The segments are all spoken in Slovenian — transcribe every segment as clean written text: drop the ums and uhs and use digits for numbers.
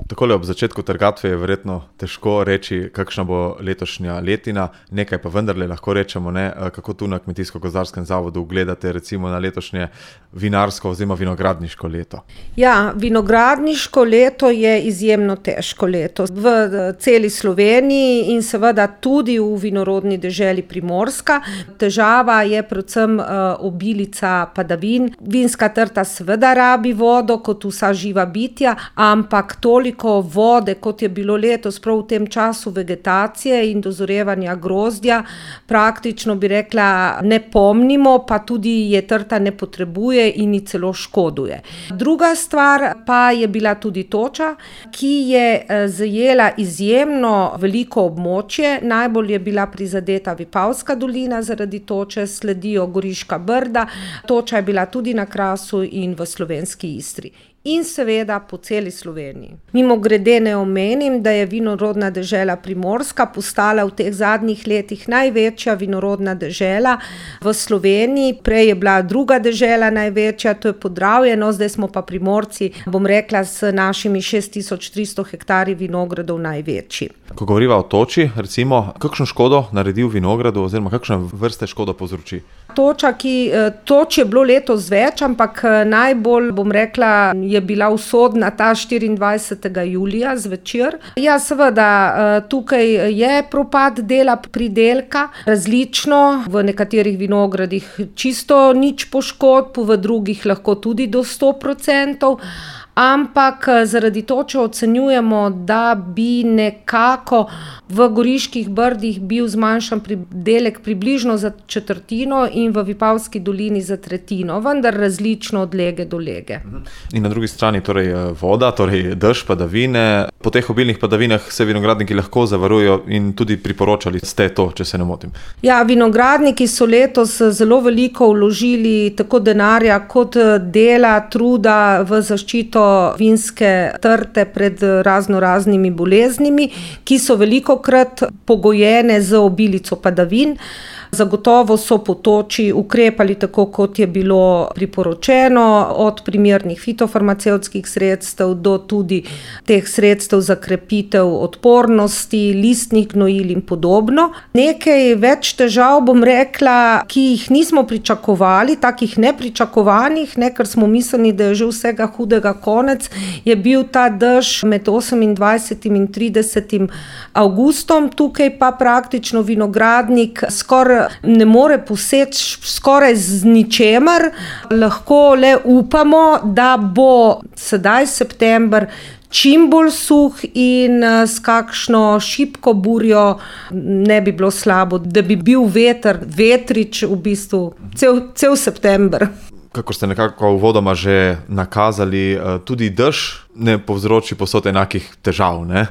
Takole ob začetku trgatve je verjetno težko reči, kakšna bo letošnja letina, nekaj pa vendarle lahko rečemo, ne? Kako tu na Kmetijsko-gozdarskem zavodu gledate recimo na letošnje vinarsko oziroma vinogradniško leto? Ja, vinogradniško leto je izjemno težko leto v celi Sloveniji in seveda tudi v vinorodni deželi Primorska. Težava je predvsem obilica padavin. Vinska trta seveda rabi vodo kot vsa živa bitja, ampak toliko vode, kot je bilo letos prav v tem času vegetacije in dozorevanja grozdja, praktično bi rekla ne pomnimo, pa tudi je trta ne potrebuje in ji celo škoduje. Druga stvar pa je bila tudi toča, ki je zajela izjemno veliko območje. Najbolj je bila prizadeta Vipavska dolina zaradi toče, sledijo Goriška brda, toča je bila tudi na Krasu in v Slovenski Istri. In seveda po celi Sloveniji. Mimogrede ne omenim, da je vinorodna dežela Primorska postala v teh zadnjih letih največja vinorodna dežela v Sloveniji. Prej je bila druga dežela največja, to je Podravje, no zdaj smo pa Primorci, bom rekla, s našimi 6300 hektarji vinogradov največji. Ko govoriva o toči, recimo, kakšno škodo naredi v vinogradu oziroma kakšne vrste škodo povzroči? Toč je bilo letos več, ampak najbolj, bom rekla, je bila usodna ta 24. julija zvečer. Ja, seveda, tukaj je propad dela pridelka, različno, v nekaterih vinogradih čisto nič poškodb, v drugih lahko tudi do 100%. Ampak zaradi toče ocenjujemo, da bi nekako v Goriških brdih bil zmanjšan pridelek približno za četrtino in v Vipavski dolini za tretjino, vendar različno od lege do lege. In na drugi strani torej voda, torej dež, padavine. Po teh obilnih padavinah se vinogradniki lahko zavarujejo in tudi priporočali ste to, če se ne motim. Ja, vinogradniki so letos zelo veliko vložili tako denarja kot dela, truda v zaščito vinske trte pred raznoraznimi boleznimi, ki so velikokrat pogojene z obilico padavin. Zagotovo so po toči ukrepali tako, kot je bilo priporočeno, od primernih fitofarmacevtskih sredstev do tudi teh sredstev za krepitev odpornosti, listnih gnojil in podobno. Nekaj več težav, bom rekla, ki jih nismo pričakovali, takih nepričakovanih, ker smo mislili, da je že vsega hudega konec, je bil ta dež med 28. in 30. avgustom. Tukaj pa praktično vinogradnik skoraj ne more poseči skoraj z ničemer. Lahko le upamo, da bo sedaj september čim bolj suh in s kakšno šibko burjo ne bi bilo slabo, da bi bil vetrič v bistvu cel september. Kakor ste nekako uvodoma že nakazali, tudi dež ne povzroči povsod enakih težav, ne?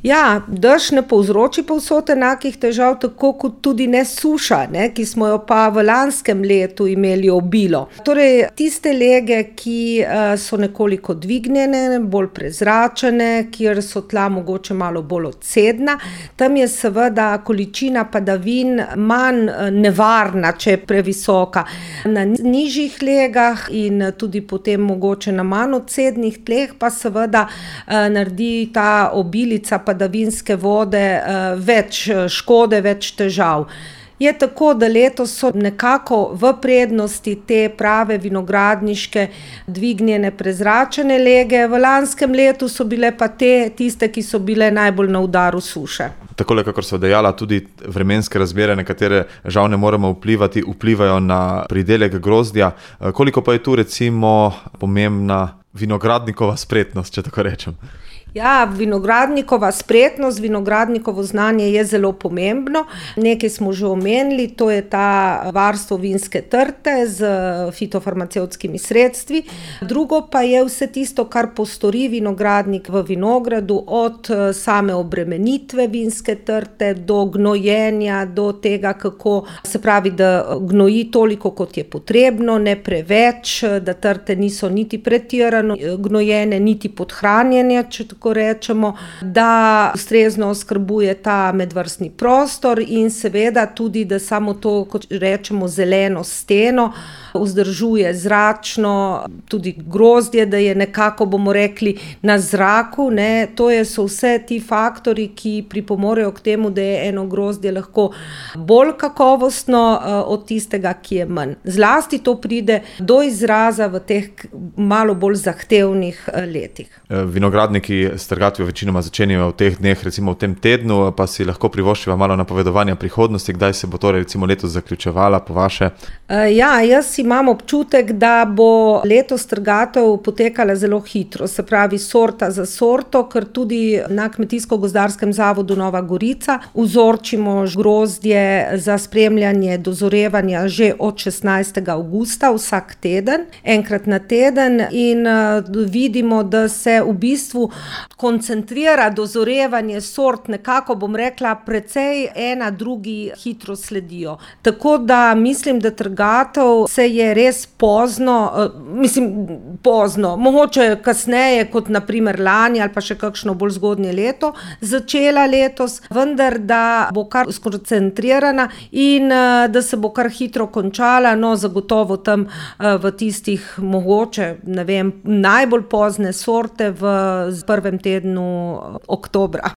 Ja, dež ne povzroči povsod enakih težav, tako kot tudi ne suša, ki smo jo pa v lanskem letu imeli obilo. Torej, tiste lege, ki so nekoliko dvignjene, bolj prezračene, kjer so tla mogoče malo bolj odsedna, tam je seveda količina padavin manj nevarna, če je previsoka. Na nižjih legah in tudi potem mogoče na manj odsednih tleh pa seveda naredi ta obilica padavinske vode več škode, več težav. Je tako, da letos so nekako v prednosti te prave vinogradniške dvignjene prezračene lege, v lanskem letu so bile pa tiste, ki so bile najbolj na udaru suše. Takole, kakor so dejala, tudi vremenske razmere, na katere žal ne moremo vplivajo na pridelek grozdja. Koliko pa je tu recimo pomembna vinogradnikova spretnost, če tako rečem? Ja, vinogradnikova spretnost, vinogradnikovo znanje je zelo pomembno. Nekaj smo že omenili, to je ta varstvo vinske trte z fitofarmacevtskimi sredstvi. Drugo pa je vse tisto, kar postori vinogradnik v vinogradu, od same obremenitve vinske trte do gnojenja, do tega, kako se pravi, da gnoji toliko, kot je potrebno, ne preveč, da trte niso niti pretirano pretirano gnojene, niti podhranjene, če tako rečemo, da ustrezno oskrbuje ta medvrstni prostor in seveda tudi, da samo to, kot rečemo, zeleno steno vzdržuje zračno, tudi grozdje, da je nekako, bomo rekli, na zraku, ne. To so vse ti faktorji, ki pripomorejo k temu, da je eno grozdje lahko bolj kakovostno od tistega, ki je manj. Zlasti to pride do izraza v teh malo bolj zahtevnih letih. Vinogradniki s trgatvijo večinoma začenjajo v teh dneh, recimo v tem tednu, pa si lahko privoščiva malo napovedovanja prihodnosti, kdaj se bo torej recimo letos zaključevala po vaše? Jaz imam občutek, da bo letos trgatev potekala zelo hitro, se pravi sorta za sorto, ker tudi na Kmetijsko-gozdarskem zavodu Nova Gorica vzorčimo grozdje za spremljanje dozorevanja že od 16. avgusta vsak teden, enkrat na teden in vidimo, da se v bistvu koncentrira dozorevanje sort, nekako bom rekla, precej ena drugi hitro sledijo. Tako da mislim, da trgatev se je res pozno, mogoče kasneje kot na primer lani ali pa še kakšno bolj zgodnje leto začela letos, vendar da bo kar skoncentrirana in da se bo kar hitro končala, no zagotovo tam v tistih mogoče, ne vem, najbolj pozne sorte v prvem tednu oktobra.